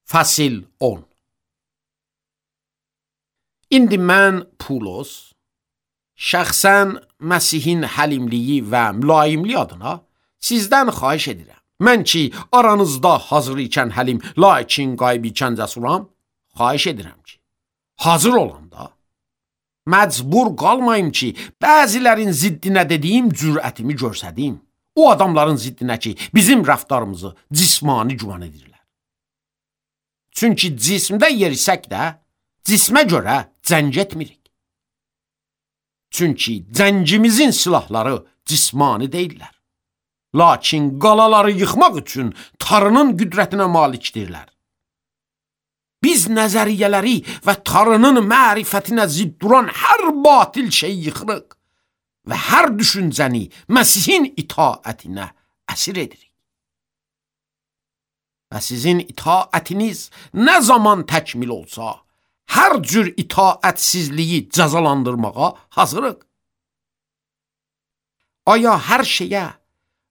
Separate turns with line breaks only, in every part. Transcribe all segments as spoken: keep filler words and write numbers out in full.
Fəsil on. İndi mən Pulos, şəxsən Məsihin həlimliyi və mülayimliyi adına sizdən xahiş edirəm. Mən ki, aranızda hazır ikən həlim, lakin qayb ikən cəsuram, xahiş edirəm ki, hazır olanda, məcbur qalmayım ki, bəzilərin ziddinə dediyim cürətimi görsədim. O adamların ziddinə ki, bizim rəftarımızı cismani güman edirlər. Çünki cismdə yerisək də, cismə görə cəng etmirik. Çünki cəngimizin silahları cismani deyirlər. Lakin qalaları yıxmaq üçün Tanrının qüdrətinə malikdirlər. Biz nəzəriyyələri və Tanrının mərifətinə zidd duran hər batil şey yıxırıq və hər düşüncəni Məsihin itaətinə əsir edirik. Və sizin itaətiniz nə zaman təkmil olsa, hər cür itaətsizliyi cəzalandırmağa hazırıq. Aya hər şeyə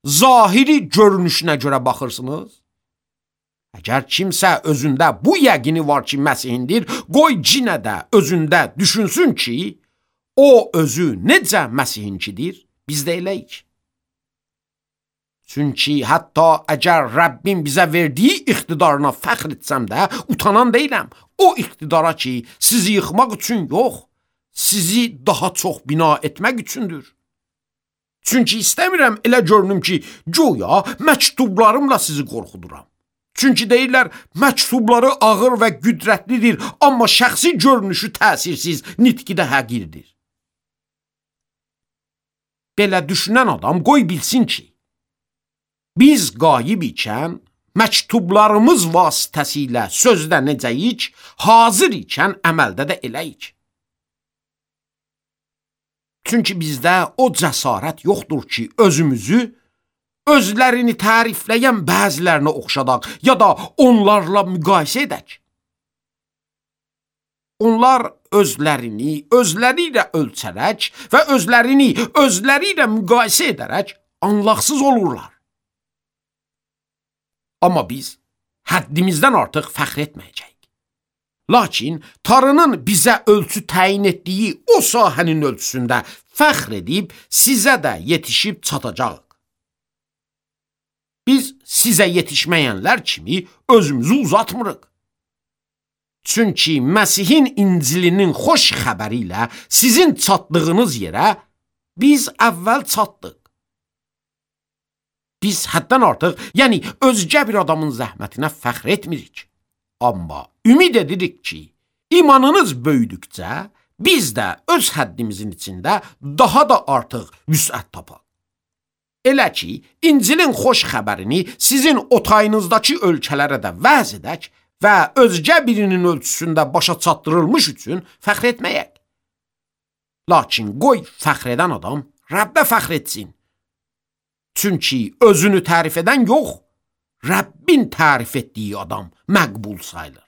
zahiri görünüşünə görə baxırsınız? Əgər kimsə özündə bu yəqini var ki, Məsihindir, qoy cinə də özündə düşünsün ki, o özü necə Məsihinkidir, biz də eləyik. Çünki hətta əgər Rəbbim bizə verdiyi iqtidarına fəxr etsəm də, utanan deyiləm. O iqtidara ki, sizi yıxmaq üçün yox, sizi daha çox bina etmək üçündür. Çünki istəmirəm elə görünüm ki, güya məktublarımla sizi qorxuduram. Çünki deyirlər, məktubları ağır və qüdrətlidir, amma şəxsi görünüşü təsirsiz, nitqi də həqirdir. Belə düşünən adam qoy bilsin ki, biz qayib ikən, məktublarımız vasitəsilə sözdə necəyik, hazır ikən əməldə də eləyik. Çünki bizdə o cəsarət yoxdur ki, özümüzü, özlərini tərifləyən bəzilərinə oxşadaq, ya da onlarla müqayisə edək. Onlar özlərini, özləri ilə ölçərək və özlərini, özləri ilə müqayisə edərək anlaqsız olurlar. Amma biz həddimizdən artıq fəxr etməyəcəyik. Lakin Tanrının bizə ölçü təyin etdiyi o sahənin ölçüsündə fəxr edib sizə də yetişib çatacağıq. Biz sizə yetişməyənlər kimi özümüzü uzatmırıq. Çünki Məsihin İncilinin xoş xəbəri ilə sizin çatdığınız yerə biz əvvəl çatdıq. Biz həddən artıq, yəni özgə bir adamın zəhmətinə fəxr etmirik. Amma ümid edirik ki, imanınız böyüdükcə, biz də öz həddimizin içində daha da artıq vüsət tapaq. Elə ki, İncilin xoş xəbərini sizin otayınızdakı ölkələrə də vəz edək və özgə birinin ölçüsündə başa çatdırılmış üçün fəxr etməyək. Lakin qoy fəxr edən adam Rəbbə fəxr etsin. Çünki özünü tərif edən yox, Rəbbin tərif etdiyi adam məqbul sayılır.